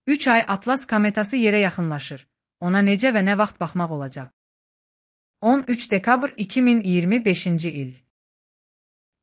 3 ay Atlas kometası yerə yaxınlaşır. Ona necə və nə vaxt baxmaq olacaq? 13 dekabr 2025 il.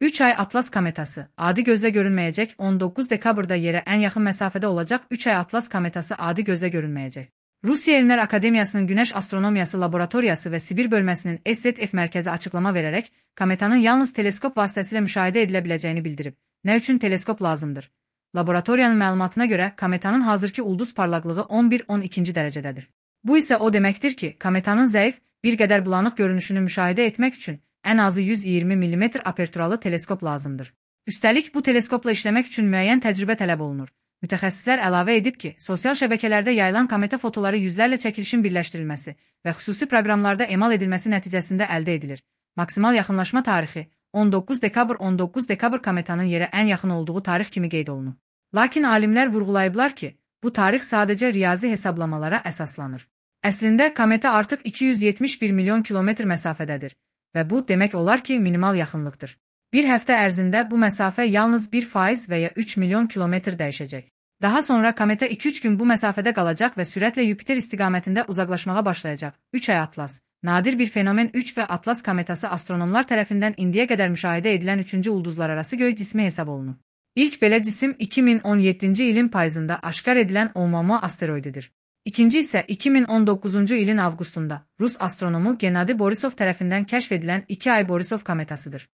3 ay Atlas kometası, adi gözlə görünməyəcək, 19 dekabrda yerə ən yaxın məsafədə olacaq. 3 ay Atlas kometası adi gözlə görünməyəcək. Rusiya Elmlər Akademiyasının Günəş Astronomiyası Laboratoriyası və Sibir bölməsinin SZF mərkəzi açıqlama verərək, kometanın yalnız teleskop vasitəsilə müşahidə edilə biləcəyini bildirib. Nə üçün teleskop lazımdır? Laboratoriyanın məlumatına görə, kometanın hazırki ulduz parlaqlığı 11-12 dərəcədədir. Bu isə o deməkdir ki, kometanın zəif, bir qədər bulanıq görünüşünü müşahidə etmək üçün ən azı 120 mm aperturalı teleskop lazımdır. Üstəlik, bu teleskopla işləmək üçün müəyyən təcrübə tələb olunur. Mütəxəssislər əlavə edib ki, sosial şəbəkələrdə yayılan kometa fotoları yüzlərlə çəkilişin birləşdirilməsi və xüsusi proqramlarda emal edilməsi nəticəsində əldə edilir. Maksimal yaxınlaşma tarixi 19 dekabr kometanın yerə ən yaxın olduğu tarix kimi qeyd olunub. Lakin alimlər vurğulayıblar ki, bu tarix sadəcə riyazi hesablamalara əsaslanır. Əslində, kometa artıq 271 milyon kilometr məsafədədir və bu demək olar ki, minimal yaxınlıqdır. Bir həftə ərzində bu məsafə yalnız 1% və ya 3 milyon kilometr dəyişəcək. Daha sonra kometa 2-3 gün bu məsafədə qalacaq və sürətlə Yupiter istiqamətində uzaqlaşmağa başlayacaq. 3 ay Atlas. Nadir bir fenomen 3 və Atlas kometası astronomlar tərəfindən indiyə qədər müşahidə edilən 3-cü ulduzlararası göy cismi hesab olunur. İlk belə cisim 2017-ci ilin payızında aşkar edilən Oumuamua asteroididir. İkinci isə 2019-cu ilin avqustunda Rus astronomu Gennady Borisov tərəfindən kəşf edilən 2 ay Borisov kometasıdır.